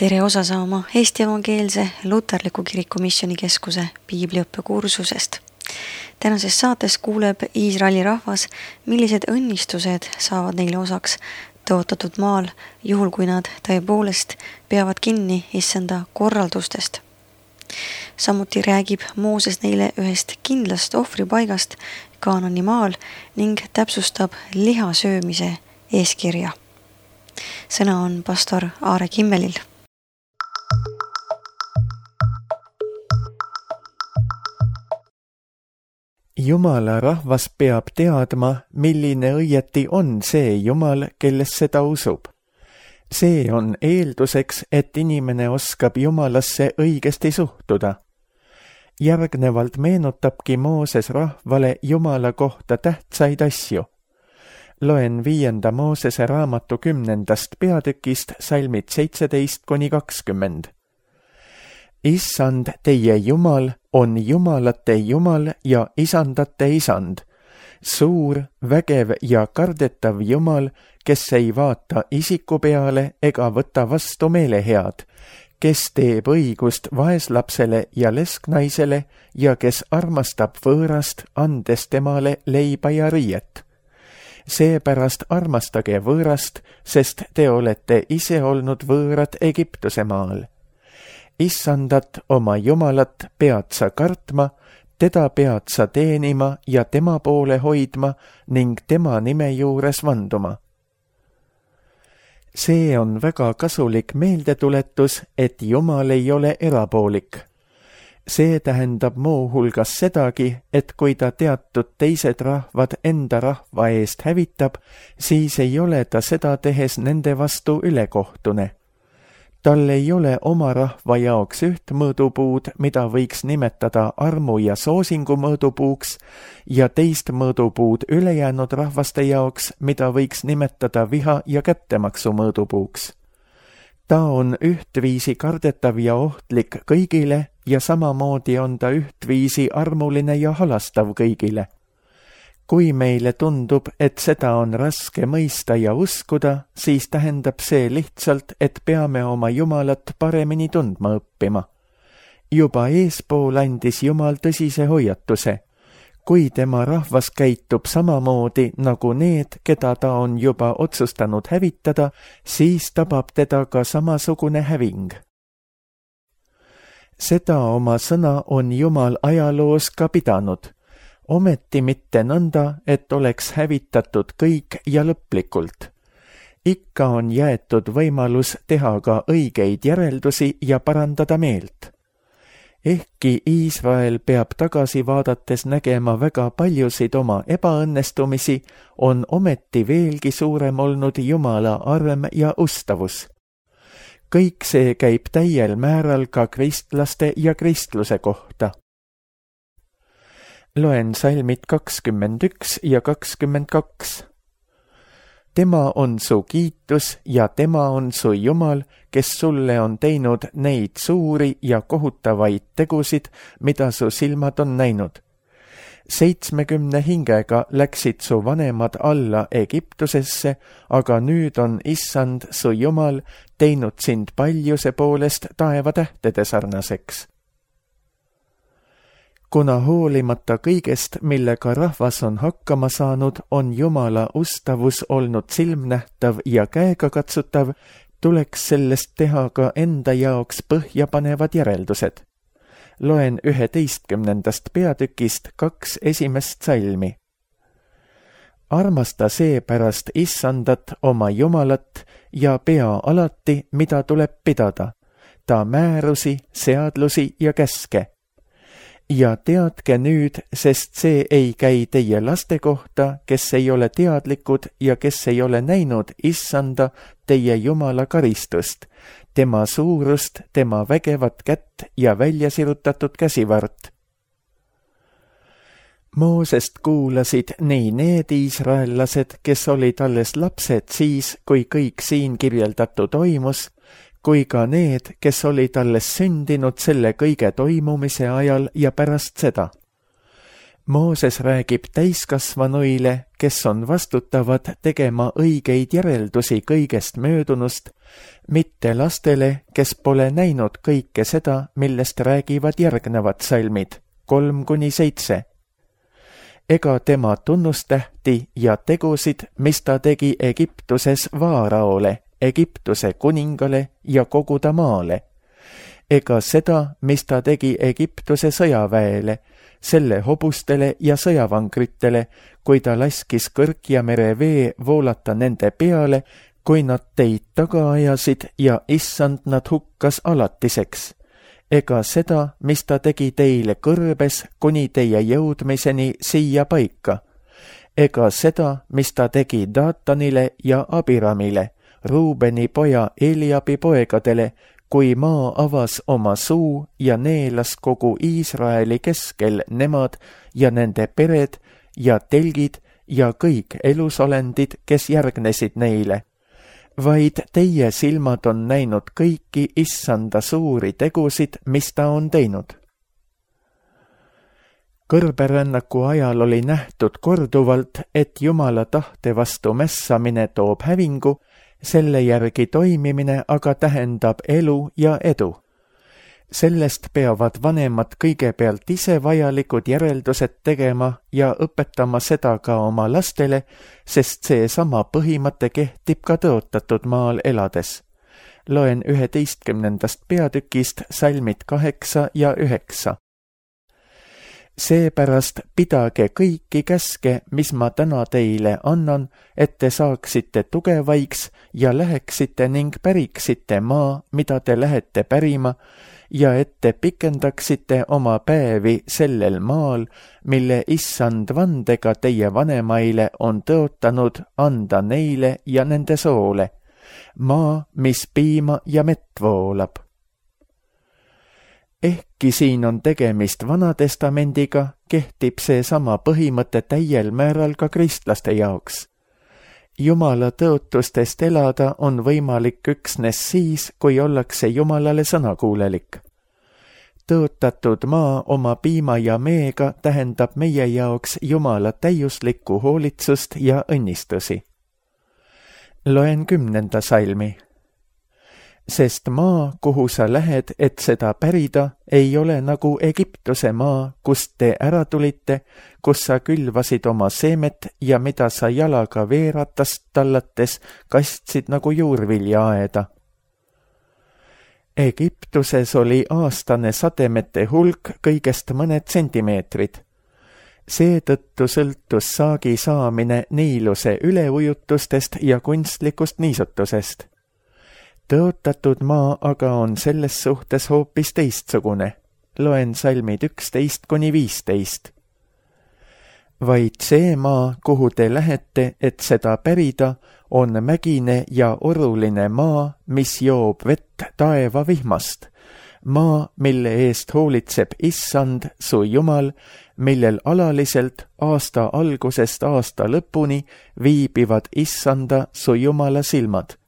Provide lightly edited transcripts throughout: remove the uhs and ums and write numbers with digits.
Tere osa saama Eesti Evangeelse Luterliku Kiriku Missioonikeskuse piibliõppekursusest. Tänases saates kuuleb Iisraeli rahvas, millised õnnistused saavad neile osaks tõotatud maal, juhul kui nad tõepoolest peavad kinni issanda korraldustest. Samuti räägib Mooses neile ühest kindlast ohvripaigast Kaanani maal ning täpsustab liha söömise eeskirja. Sõna on pastor Aare Kimmelil. Jumala rahvas peab teadma, milline õieti on see Jumal, kelles seda usub. See on eelduseks, et inimene oskab Jumalasse õigesti suhtuda. Järgnevalt meenutabki Mooses rahvale Jumala kohta tähtsaid asju. Loen 5. Moosese raamatu 10. peatükist salmid 17-20. Issand, teie Jumal, on jumalate Jumal ja isandate isand, suur, vägev ja kardetav Jumal, kes ei vaata isiku peale ega võta vastu meelehead, kes teeb õigust vaeslapsele ja lesknaisele ja kes armastab võõrast, andes temale leiba ja riiet. Seepärast armastage võõrast, sest te olete ise olnud võõrad Egiptuse maal. Issandat, oma Jumalat, pead sa kartma, teda pead sa teenima ja tema poole hoidma ning tema nime juures vanduma. See on väga kasulik meeldetuletus, et Jumal ei ole erapoolik. See tähendab muu hulgas sedagi, et kui ta teatud teised rahvad enda rahva eest hävitab, siis ei ole ta seda tehes nende vastu ülekohtune. Tal ei ole oma rahva jaoks üht mõõdupuud, mida võiks nimetada armu ja soosingu mõõdupuuks, ja teist mõõdupuud ülejäänud rahvaste jaoks, mida võiks nimetada viha ja kättemaksu mõõdupuuks. Ta on ühtviisi kardetav ja ohtlik kõigile ja samamoodi on ta ühtviisi armuline ja halastav kõigile. Kui meile tundub, et seda on raske mõista ja uskuda, siis tähendab see lihtsalt, et peame oma Jumalat paremini tundma õppima. Juba eespool andis Jumal tõsise hoiatuse. Kui tema rahvas käitub samamoodi nagu need, keda ta on juba otsustanud hävitada, siis tabab teda ka samasugune häving. Seda oma sõna on Jumal ajaloos ka pidanud. Ometi mitte nõnda, et oleks hävitatud kõik ja lõplikult. Ikka on jäetud võimalus teha ka õigeid järeldusi ja parandada meelt. Ehkki Iisrael peab tagasi vaadates nägema väga paljusid oma ebaõnnestumisi, on ometi veelgi suurem olnud Jumala arm ja ustavus. Kõik see käib täiel määral ka kristlaste ja kristluse kohta. Loen salmid 21 ja 22. Tema on su kiitus ja tema on su Jumal, kes sulle on teinud neid suuri ja kohutavaid tegusid, mida su silmad on näinud. 70 hingega läksid su vanemad alla Egiptusesse, aga nüüd on Issand, su Jumal, teinud sind paljuse poolest taevatähtede sarnaseks. Kuna hoolimata kõigest, millega rahvas on hakkama saanud, on Jumala ustavus olnud silmnähtav ja käegakatsutav, tuleks sellest teha ka enda jaoks põhjapanevad järeldused. Loen 11. peatükist 2 esimest salmi. Armasta seepärast Issandat, oma Jumalat, ja pea alati, mida tuleb pidada, ta määrusi, seadlusi ja käske. Ja teadke nüüd, sest see ei käi teie laste kohta, kes ei ole teadlikud ja kes ei ole näinud Issanda, teie Jumala karistust, tema suurust, tema vägevat kätt ja väljasirutatud käsivart. Moosest kuulasid nii need iisraellased, kes olid alles lapsed siis, kui kõik siin kirjeldatu toimus, kui ka need, kes olid alles sündinud selle kõige toimumise ajal ja pärast seda. Mooses räägib täiskasvanuile, kes on vastutavad tegema õigeid järeldusi kõigest möödunust, mitte lastele, kes pole näinud kõike seda, millest räägivad järgnevad salmid 3-7. Ega tema tunnustähti ja tegusid, mis ta tegi Egiptuses Vaaraole, Egiptuse kuningale ja kogu ta maale. Ega seda, mis ta tegi Egiptuse sõjaväele, selle hobustele ja sõjavankritele, kui ta laskis Kõrgja mere vee voolata nende peale, kui nad teid taga ajasid ja issand nad hukkas alatiseks. Ega seda, mis ta tegi teile kõrbes kuni teie jõudmiseni siia paika. Ega seda, mis ta tegi Datanile ja Abiramile, Ruubeni poja Eliabi poegadele, kui maa avas oma suu ja neelas kogu Iisraeli keskel nemad ja nende pered ja telgid ja kõik elusolendid, kes järgnesid neile. Vaid teie silmad on näinud kõiki issanda suuri tegusid, mis ta on teinud. Kõrberännaku ajal oli nähtud korduvalt, et Jumala tahte vastu mässamine toob hävingu, selle järgi toimimine aga tähendab elu ja edu. Sellest peavad vanemad kõigepealt ise vajalikud järeldused tegema ja õpetama seda ka oma lastele, sest see sama põhimõte kehtib ka tõotatud maal elades. Loen 11. peatükist salmid 8 ja 9. Seepärast pidage kõiki käske, mis ma täna teile annan, et te saaksite tugevaiks ja läheksite ning päriksite maa, mida te lähete pärima, ja et te pikendaksite oma päevi sellel maal, mille issand vandega teie vanemaile on tõotanud anda neile ja nende soole, maa, mis piima ja mett voolab. Ehkki siin on tegemist Vanatestamendiga, kehtib see sama põhimõte täiel määral ka kristlaste jaoks. Jumala tõotustest elada on võimalik üksnes siis, kui ollakse Jumalale sõnakuulelik. Tõotatud maa oma piima ja meega tähendab meie jaoks Jumala täiuslikku hoolitsust ja õnnistusi. Loen 10. salmi. Sest maa, kuhu sa lähed, et seda pärida, ei ole nagu Egiptuse maa, kust te ära tulite, kus sa külvasid oma seemet ja mida sa jalaga veeratast tallates kastsid nagu juurviljaaeda. Egiptuses oli aastane sademete hulk kõigest mõned sentimeetrid. Seetõttu sõltus saagi saamine Niiluse üleujutustest ja kunstlikust niisutusest. Tõotatud maa aga on selles suhtes hoopis teistsugune. Loen salmid 11-15. Vaid see maa, kuhu te lähete, et seda pärida, on mägine ja oruline maa, mis joob vett taeva vihmast. Maa, mille eest hoolitseb issand, su Jumal, millel alaliselt aasta algusest aasta lõpuni viibivad issanda, su Jumala silmad.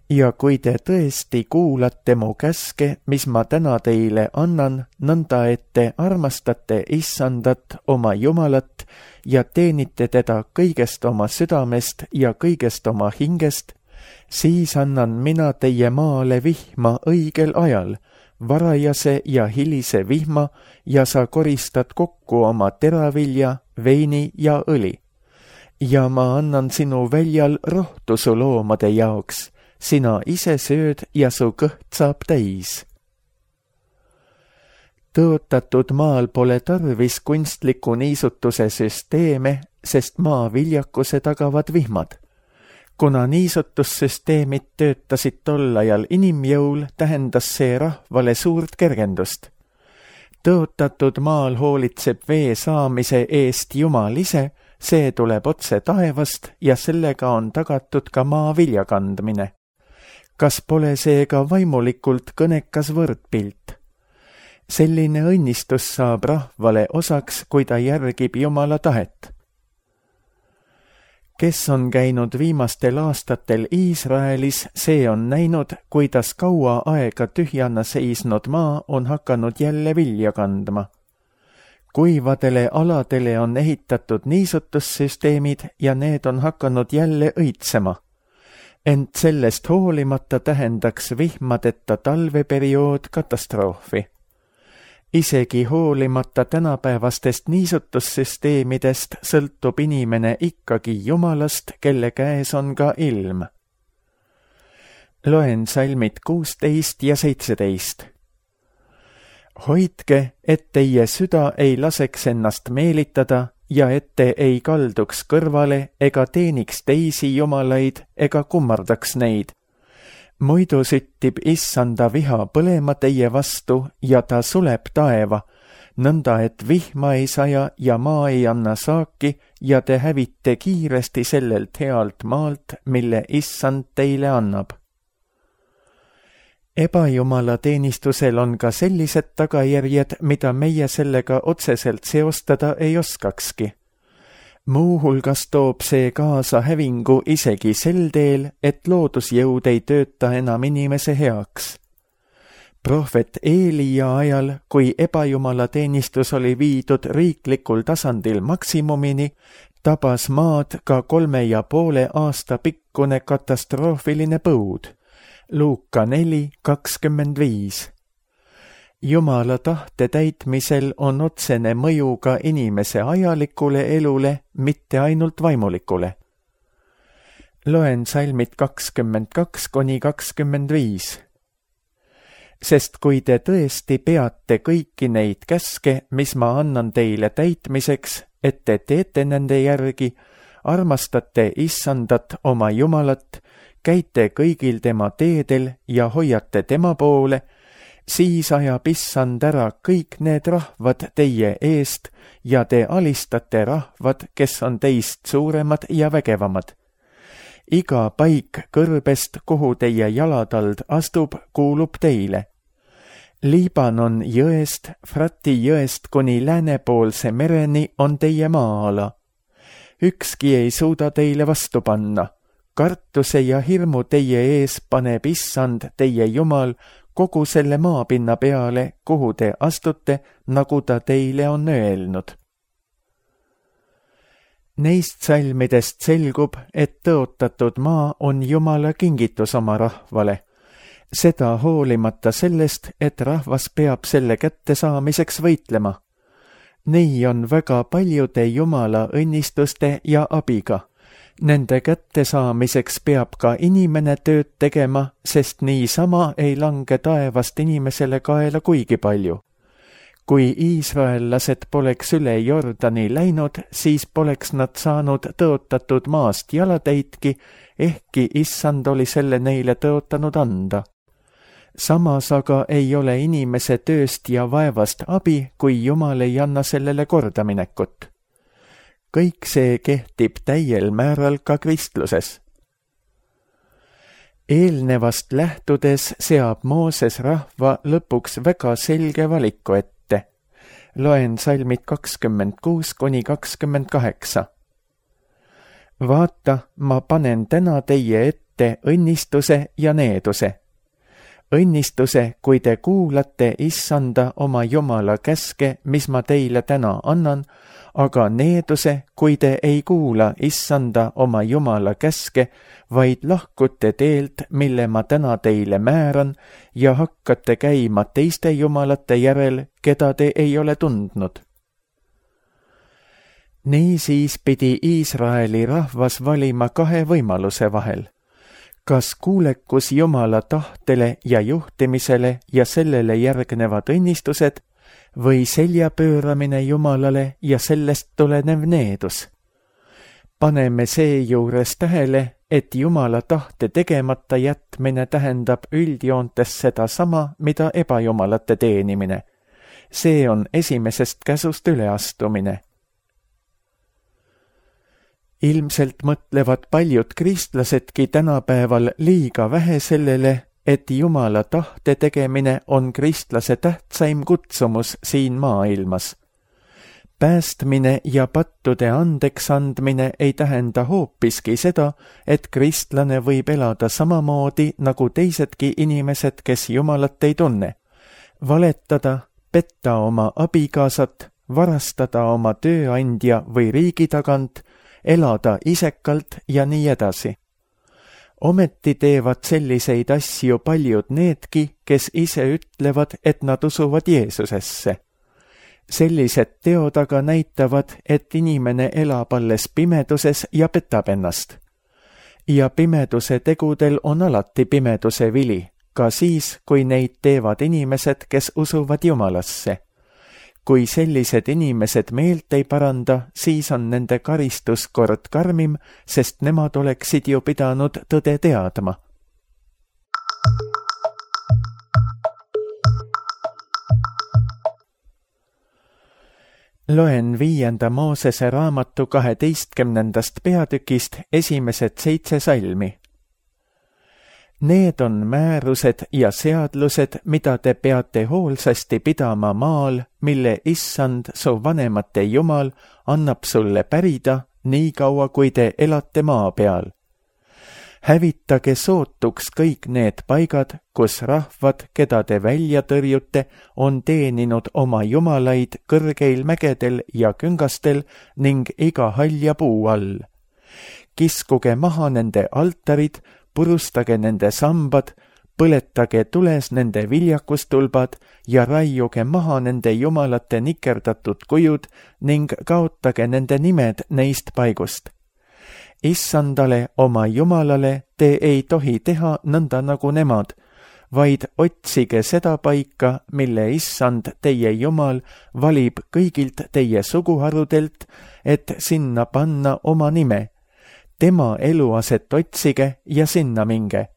Ja kui te tõesti kuulate mu käske, mis ma täna teile annan, nõnda et te armastate issandat oma Jumalat ja teenite teda kõigest oma südamest ja kõigest oma hingest, siis annan mina teie maale vihma õigel ajal, varajase ja hilise vihma, ja sa koristad kokku oma teravilja, veini ja õli. Ja ma annan sinu väljal rohtu su loomade jaoks, sina ise sööd ja su kõht saab täis. Tõotatud maal pole tarvis kunstliku niisutuse süsteeme, sest maa viljakuse tagavad vihmad. Kuna niisutussüsteemid töötasid tol ajal inimjõul, tähendas see rahvale suurt kergendust. Tõotatud maal hoolitseb vee saamise eest Jumal ise, see tuleb otse taevast ja sellega on tagatud ka maa viljakandmine. Kas pole seega vaimulikult kõnekas võrdpilt? Selline õnnistus saab rahvale osaks, kui ta järgib Jumala tahet. Kes on käinud viimastel aastatel Iisraelis, see on näinud, kuidas kaua aega tühjana seisnud maa on hakanud jälle vilja kandma. kuivadele aladele on ehitatud niisutussüsteemid ja need on hakanud jälle õitsema. Ent sellest hoolimata tähendaks vihmadeta talveperiood katastroofi. Isegi hoolimata tänapäevastest niisutussüsteemidest sõltub inimene ikkagi Jumalast, kelle käes on ka ilm. Loen salmid 16 ja 17. Hoidke, et teie süda ei laseks ennast meelitada ja et te ei kalduks kõrvale ega teeniks teisi jumalaid ega kummardaks neid. Muidu süttib issanda viha põlema teie vastu ja ta suleb taeva, nõnda et vihma ei saja ja maa ei anna saaki ja te hävite kiiresti sellelt healt maalt, mille issand teile annab. Ebajumala teenistusel on ka sellised tagajärjed, mida meie sellega otseselt seostada ei oskakski. Muuhulgas toob see kaasa hävingu isegi sel teel, et loodusjõud ei tööta enam inimese heaks. Prohvet Eelia ajal, kui ebajumala teenistus oli viidud riiklikul tasandil maksimumini, tabas maad ka 3,5 aasta pikkune katastroofiline põud. Luuka 4:25. Jumala tahte täitmisel on otsene mõju ka inimese ajalikule elule, mitte ainult vaimulikule. Loen salmid 22-25. Sest kui te tõesti peate kõiki neid käske, mis ma annan teile täitmiseks, et te teete nende järgi, armastate issandat oma Jumalat, käite kõigil tema teedel ja hoiate tema poole, siis ajab issand ära kõik need rahvad teie eest ja te alistate rahvad, kes on teist suuremad ja vägevamad. Iga paik kõrbest, kuhu teie jalatald astub, kuulub teile. Liibanon jõest, Frati jõest kuni läänepoolse mereni on teie maa-ala. Ükski ei suuda teile vastu panna. Kartuse ja hirmu teie ees paneb issand teie Jumal kogu selle maapinna peale, kuhu te astute, nagu ta teile on öelnud. Neist salmidest selgub, et tõotatud maa on Jumala kingitus oma rahvale. Seda hoolimata sellest, et rahvas peab selle kättesaamiseks võitlema. Nii on väga paljude Jumala õnnistuste ja abiga. Nende kättesaamiseks peab ka inimene tööd tegema, sest niisama ei lange taevast inimesele kaela kuigi palju. Kui iisraellased poleks üle Jordani läinud, siis poleks nad saanud tõotatud maast jalatäitki, ehkki issand oli selle neile tõotanud anda. Samas aga ei ole inimese tööst ja vaevast abi, kui Jumal ei anna sellele kordaminekut. Kõik see kehtib täiel määral ka kristluses. Eelnevast lähtudes seab Mooses rahva lõpuks väga selge valiku ette. Loen salmid 26-28. Vaata, ma panen täna teie ette õnnistuse ja needuse. Õnnistuse, kui te kuulate issanda oma Jumala käske, mis ma teile täna annan, aga needuse, kui te ei kuula issanda oma Jumala käske, vaid lahkute teelt, mille ma täna teile määran, ja hakkate käima teiste jumalate järel, keda te ei ole tundnud. Niisiis pidi Iisraeli rahvas valima 2 võimaluse vahel. Kas kuulekus Jumala tahtele ja juhtimisele ja sellele järgnevad õnnistused või selja pööramine Jumalale ja sellest tulenev needus? Paneme seejuures tähele, et Jumala tahte tegemata jätmine tähendab üldjoontes sedasama, mida ebajumalate teenimine. See on esimesest käsust üleastumine. Ilmselt mõtlevad paljud kristlasedki tänapäeval liiga vähe sellele, et Jumala tahte tegemine on kristlase tähtsaim kutsumus siin maailmas. Päästmine ja pattude andeks andmine ei tähenda hoopiski seda, et kristlane võib elada samamoodi nagu teisedki inimesed, kes Jumalat ei tunne. Valetada, petta oma abikaasat, varastada oma tööandja või riigi tagant, elada isekalt ja nii edasi. Ometi teevad selliseid asju paljud needki, kes ise ütlevad, et nad usuvad Jeesusesse. Sellised teod aga näitavad, et inimene elab alles pimeduses ja petab ennast. Ja pimeduse tegudel on alati pimeduse vili, ka siis, kui neid teevad inimesed, kes usuvad Jumalasse. Kui sellised inimesed meelt ei paranda, siis on nende karistus kord karmim, sest nemad oleksid ju pidanud tõde teadma. Loen 5. Moosese raamatu 12. peatükist esimesed 7 salmi. Need on määrused ja seadlused, mida te peate hoolsasti pidama maal, mille Issand, su vanemate Jumal, annab sulle pärida, nii kaua kui te elate maa peal. Hävitage sootuks kõik need paigad, kus rahvad, keda te välja tõrjute, on teeninud oma jumalaid kõrgeil mägedel ja küngastel ning iga halja puu all. Kiskuge maha nende altarid, purustage nende sambad, põletage tules nende viljakustulbad ja raiuge maha nende jumalate nikerdatud kujud ning kaotage nende nimed neist paigust. Issandale, oma Jumalale, te ei tohi teha nõnda nagu nemad, vaid otsige seda paika, mille Issand, teie Jumal, valib kõigilt teie suguharudelt, et sinna panna oma nime. Tema eluaset otsige ja sinna minge.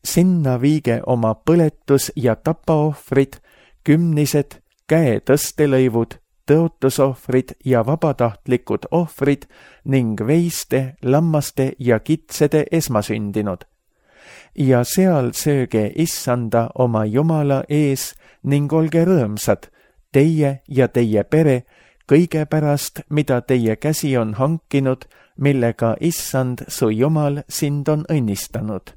Sinna viige oma põletus- ja tapaohvrid, kümnised, käetõstelõivud, tõotusohvrid ja vabatahtlikud ohvrid ning veiste, lammaste ja kitsede esmasündinud. Ja seal sööge Issanda oma Jumala ees ning olge rõõmsad, teie ja teie pere, kõige pärast, mida teie käsi on hankinud, millega Issand, su Jumal, sind on õnnistanud.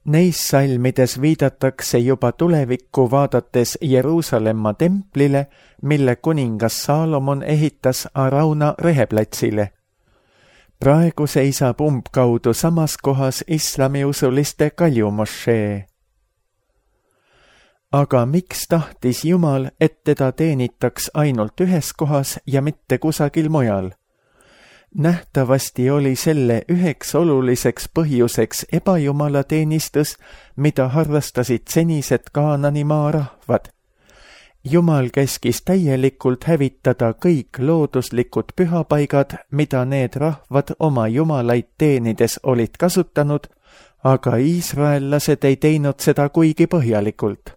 Neis salmides viidatakse juba tulevikku vaadates Jeruusalemma templile, mille kuningas Saalomon ehitas Arauna reheplatsile. Praegu seisab umbkaudu samas kohas islamiusuliste kaljumošee. Aga miks tahtis Jumal, et teda teenitaks ainult ühes kohas ja mitte kusagil mujal? Nähtavasti oli selle üheks oluliseks põhjuseks ebajumalateenistus, mida harrastasid senised Kaanani maarahvad. Jumal käskis täielikult hävitada kõik looduslikud pühapaigad, mida need rahvad oma jumalaid teenides olid kasutanud, aga iisraellased ei teinud seda kuigi põhjalikult.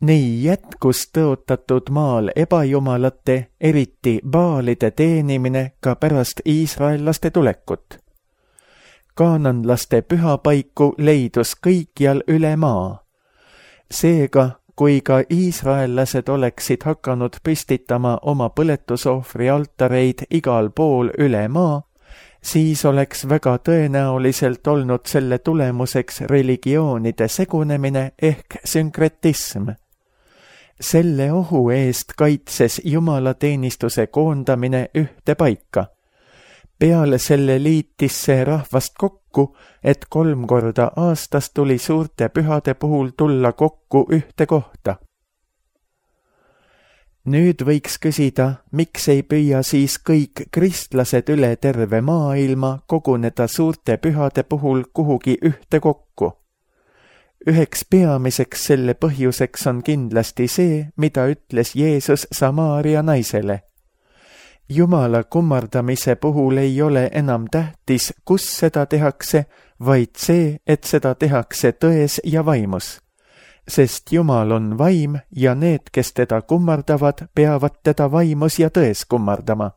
Nii jätkus tõotatud maal ebajumalate, eriti baalide teenimine ka pärast iisraellaste tulekut. Kaananlaste pühapaiku leidus kõikjal üle maa. Seega, kui ka iisraellased oleksid hakanud püstitama oma põletusohvri altareid igal pool üle maa, siis oleks väga tõenäoliselt olnud selle tulemuseks religioonide segunemine ehk sünkretism. Selle ohu eest kaitses jumalateenistuse koondamine ühte paika. Peale selle liitis see rahvast kokku, et 3 korda aastas tuli suurte pühade puhul tulla kokku ühte kohta. Nüüd võiks küsida, miks ei püüa siis kõik kristlased üle terve maailma koguneda suurte pühade puhul kuhugi ühte kokku. Üheks peamiseks selle põhjuseks on kindlasti see, mida ütles Jeesus Samaaria naisele. Jumala kummardamise puhul ei ole enam tähtis, kus seda tehakse, vaid see, et seda tehakse tões ja vaimus. Sest Jumal on vaim ja need, kes teda kummardavad, peavad teda vaimus ja tões kummardama.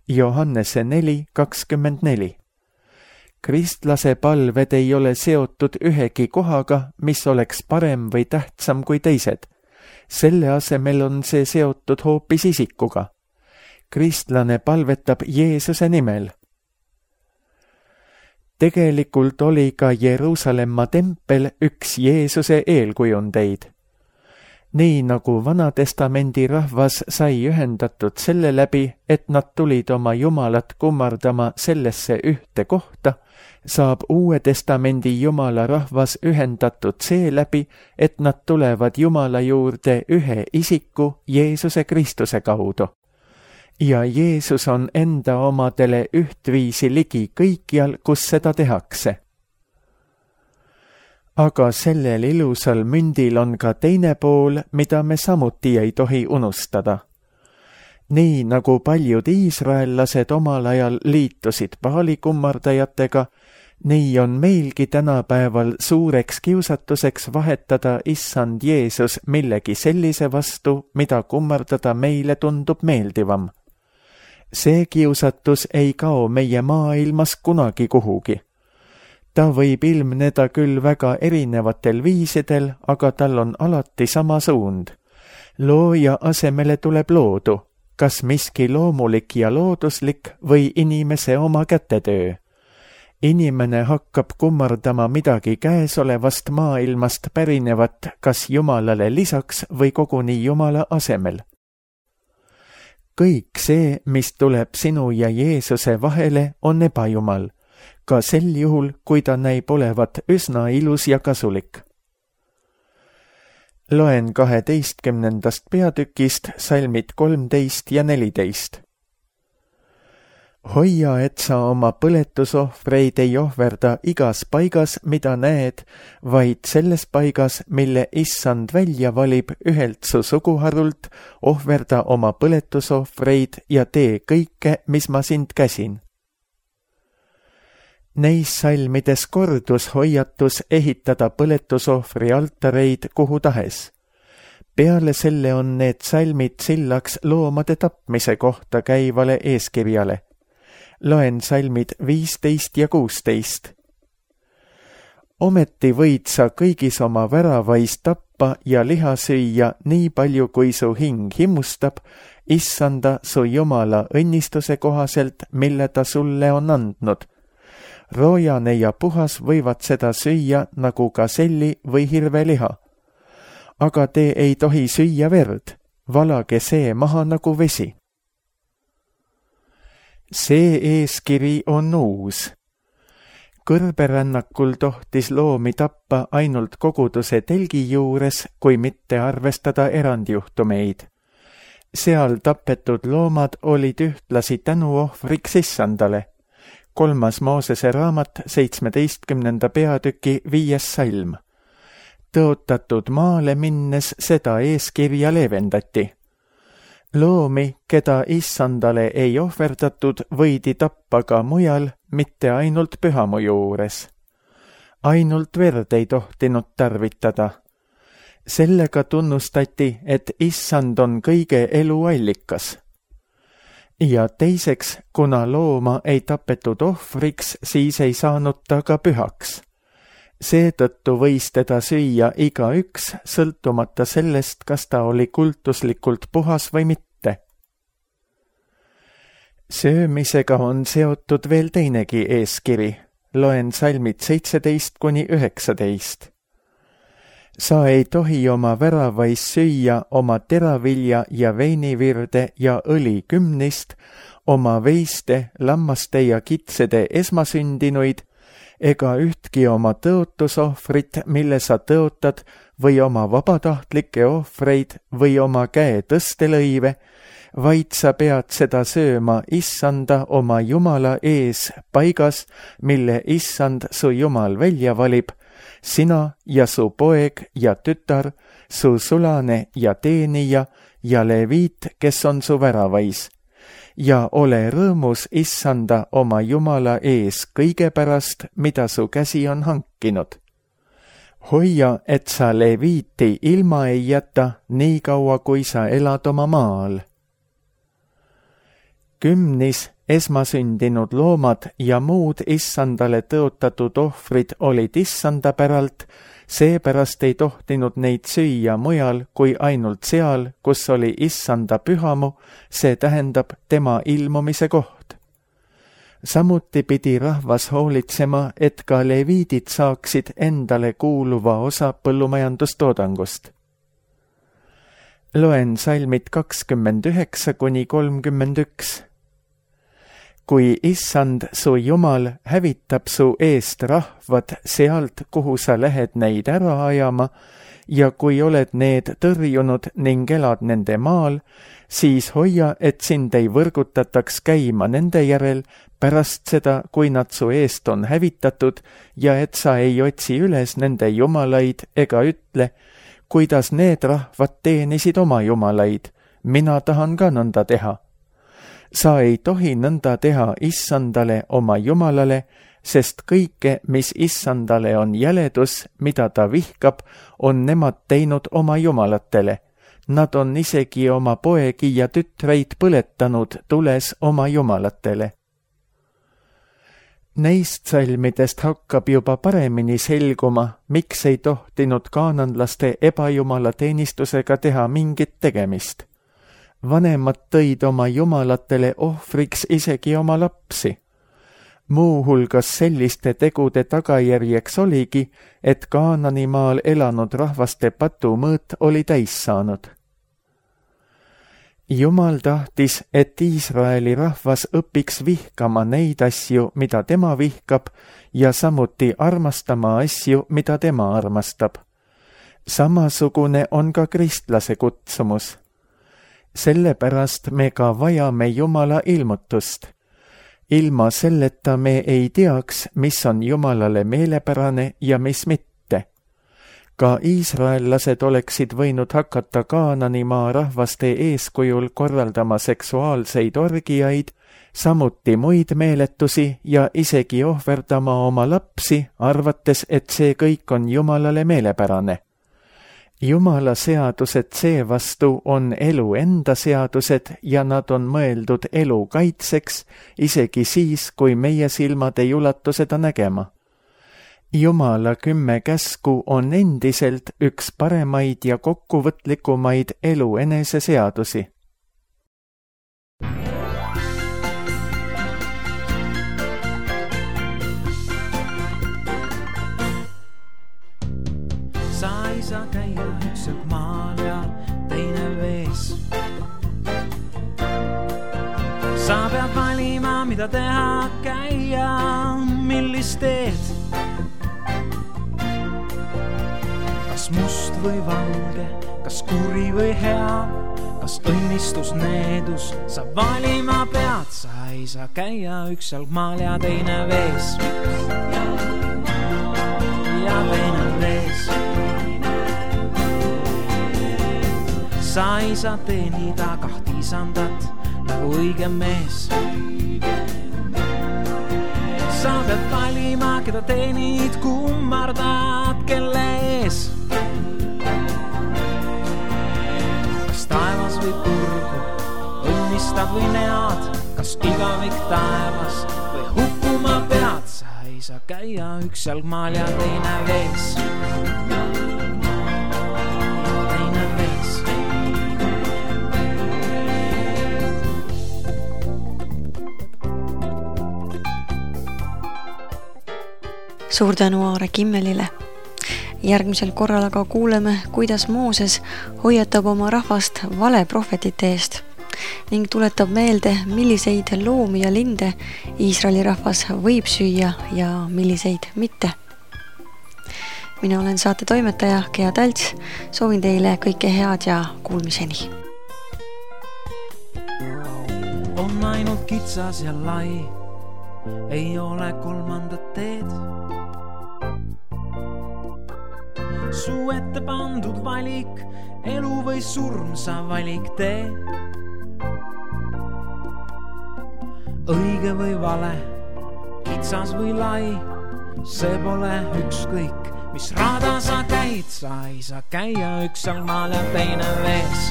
Johannese 4:24. Kristlase palved ei ole seotud ühegi kohaga, mis oleks parem või tähtsam kui teised. Selle asemel on see seotud hoopis isikuga. Kristlane palvetab Jeesuse nimel. Tegelikult oli ka Jeruusalemma tempel üks Jeesuse eelkujundeid. nii nagu Vana-testamendi rahvas sai ühendatud selle läbi, et nad tulid oma Jumalat kummardama sellesse ühte kohta, saab Uue Testamendi Jumala rahvas ühendatud seeläbi, et nad tulevad Jumala juurde ühe isiku, Jeesuse Kristuse kaudu. Ja Jeesus on enda omadele ühtviisi ligi kõikjal, kus seda tehakse. Aga sellel ilusal mündil on ka teine pool, mida me samuti ei tohi unustada. Nii nagu paljud iisraellased omal ajal liitusid Baali kummardajatega, nii on meilgi tänapäeval suureks kiusatuseks vahetada Issand Jeesus millegi sellise vastu, mida kummardada meile tundub meeldivam. See kiusatus ei kao meie maailmas kunagi kuhugi. Ta võib ilmneda küll väga erinevatel viisidel, aga tal on alati sama suund. Looja asemele tuleb loodu, kas miski loomulik ja looduslik või inimese oma kätetöö. Inimene hakkab kummardama midagi käesolevast maailmast pärinevat kas Jumalale lisaks või koguni Jumala asemel. Kõik see, mis tuleb sinu ja Jeesuse vahele, on ebajumal. Ka sel juhul, kui ta näib olevat üsna ilus ja kasulik. Loen 12. peatükist salmid 13 ja 14. Hoia, et sa oma põletusohvreid ei ohverda igas paigas, mida näed, vaid selles paigas, mille Issand välja valib ühelt su suguharult, ohverda oma põletusohvreid ja tee kõike, mis ma sind käsin. Neis salmides kordus hoiatus ehitada põletusohvri altareid kuhu tahes. Peale selle on need salmid sillaks loomade tapmise kohta käivale eeskirjale. Loen salmid 15 ja 16. Ometi võid sa kõigis oma väravais tappa ja liha süüa nii palju, kui su hing himustab, Issanda su Jumala õnnistuse kohaselt, mille ta sulle on andnud. Roojane ja puhas võivad seda süüa nagu gaselli või hirveliha. Aga te ei tohi süüa verd, valage see maha nagu vesi. See eeskiri on uus. Kõrberännakul tohtis loomi tappa ainult koguduse telgi juures, kui mitte arvestada erandjuhtumeid. Seal tapetud loomad olid ühtlasi tänuohvriks Issandale. 3. Moosese raamat 17. peatüki 5. salm. Tõotatud maale minnes seda eeskirja leevendati. Loomi, keda Issandale ei ohverdatud, võidi tappa ka mujal, mitte ainult pühamu juures. Ainult verd ei tohtinud tarvitada. Sellega tunnustati, et Issand on kõige elu allikas. Ja teiseks, kuna looma ei tapetud ohvriks, siis ei saanud ta ka pühaks. Seetõttu võis teda süüa igaüks, sõltumata sellest, kas ta oli kultuslikult puhas või mitte. Söömisega on seotud veel teinegi eeskiri. Loen salmid 17-19. Sa ei tohi oma väravais süüa oma teravilja ja veinivirde ja õli kümnist, oma veiste, lammaste ja kitsede esmasündinuid, ega ühtki oma tõotusohvrit, mille sa tõotad, või oma vabatahtlikke ohvreid või oma käe tõstelõive, vaid sa pead seda sööma Issanda oma Jumala ees paigas, mille Issand su Jumal välja valib, sina ja su poeg ja tütar, su sulane ja teenija ja leviit, kes on su väravais. Ja ole rõõmus Issanda oma Jumala ees kõige pärast, mida su käsi on hankinud. Hoia, et sa leviiti ilma ei jäta, nii kaua kui sa elad oma maal. 10. esmasündinud loomad ja muud Issandale tõotatud ohvrid olid Issanda päralt, seepärast ei tohtinud neid süüa mujal kui ainult seal, kus oli Issanda pühamu, see tähendab tema ilmumise koht. Samuti pidi rahvas hoolitsema, et ka leviidid saaksid endale kuuluva osa põllumajandustoodangust. Loen salmid 29–31. Kui Issand, su Jumal, hävitab su eest rahvad sealt, kuhu sa lähed neid ära ajama, ja kui oled need tõrjunud ning elad nende maal, siis hoia, et sind ei võrgutataks käima nende järel pärast seda, kui nad su eest on hävitatud, ja et sa ei otsi üles nende jumalaid ega ütle, kuidas need rahvad teenisid oma jumalaid, mina tahan ka nõnda teha. Sa ei tohi nõnda teha Issandale oma jumalale, sest kõike, mis Issandale on jäledus, mida ta vihkab, on nemad teinud oma jumalatele. Nad on isegi oma poegi ja tütreid põletanud tules oma jumalatele. Neist salmidest hakkab juba paremini selguma, miks ei tohtinud kaananlaste ebajumala teenistusega teha mingit tegemist. Vanemad tõid oma jumalatele ohvriks isegi oma lapsi. Muu hulgas selliste tegude tagajärjeks oligi, et Kaananimaal elanud rahvaste patumõõt oli täis saanud. Jumal tahtis, et Iisraeli rahvas õpiks vihkama neid asju, mida tema vihkab, ja samuti armastama asju, mida tema armastab. Samasugune on ka kristlase kutsumus. Sellepärast me ka vajame Jumala ilmutust. Ilma selleta me ei teaks, mis on Jumalale meelepärane ja mis mitte. Ka iisraellased oleksid võinud hakata Kaananimaa rahvaste eeskujul korraldama seksuaalseid orgiaid, samuti muid meeletusi ja isegi ohverdama oma lapsi, arvates, et see kõik on Jumalale meelepärane. Jumala seadused seevastu on elu enda seadused ja nad on mõeldud elu kaitseks, isegi siis, kui meie silmad ei ulatu seda nägema. Jumala 10 käsku on endiselt üks paremaid ja kokkuvõtlikumaid elu enese seadusi. Sa ei saa käia ükselt maal ja teine vees. Sa pead valima, mida teha, käia, millist teed. Kas must või valge, kas kuri või hea, kas õnnistus, needus, sa valima pead. Sa ei saa käia ükselt maal ja teine vees. Ja teine vees. Sa ei saa teenida 2 isandat nagu õige mees. Sa pead valima, keda teenid, kummardad, kelle ees. Kas taevas või purgu, õnnistad või nead, kas igavik taevas või hukkuma pead. Sa ei saa käia üks jalgmaal ja teine vees. Suur tänu Aare Kimmelile. Järgmisel korral aga kuuleme, kuidas Mooses hoiatab oma rahvast valeprohvetite eest ning tuletab meelde, milliseid loomi ja linde Iisraeli rahvas võib süüa ja milliseid mitte. Mina olen saate toimetaja Gea Talts, soovin teile kõike head ja kuulmiseni. On ainult kitsas ja lai, ei ole kolmandat teed. Su ette pandud valik, elu või surm, sa valik tee. Õige või vale, kitsas või lai, see pole ükskõik, mis rada sa käid. Sa ei saa käia üks jalgmaal ja teine vees.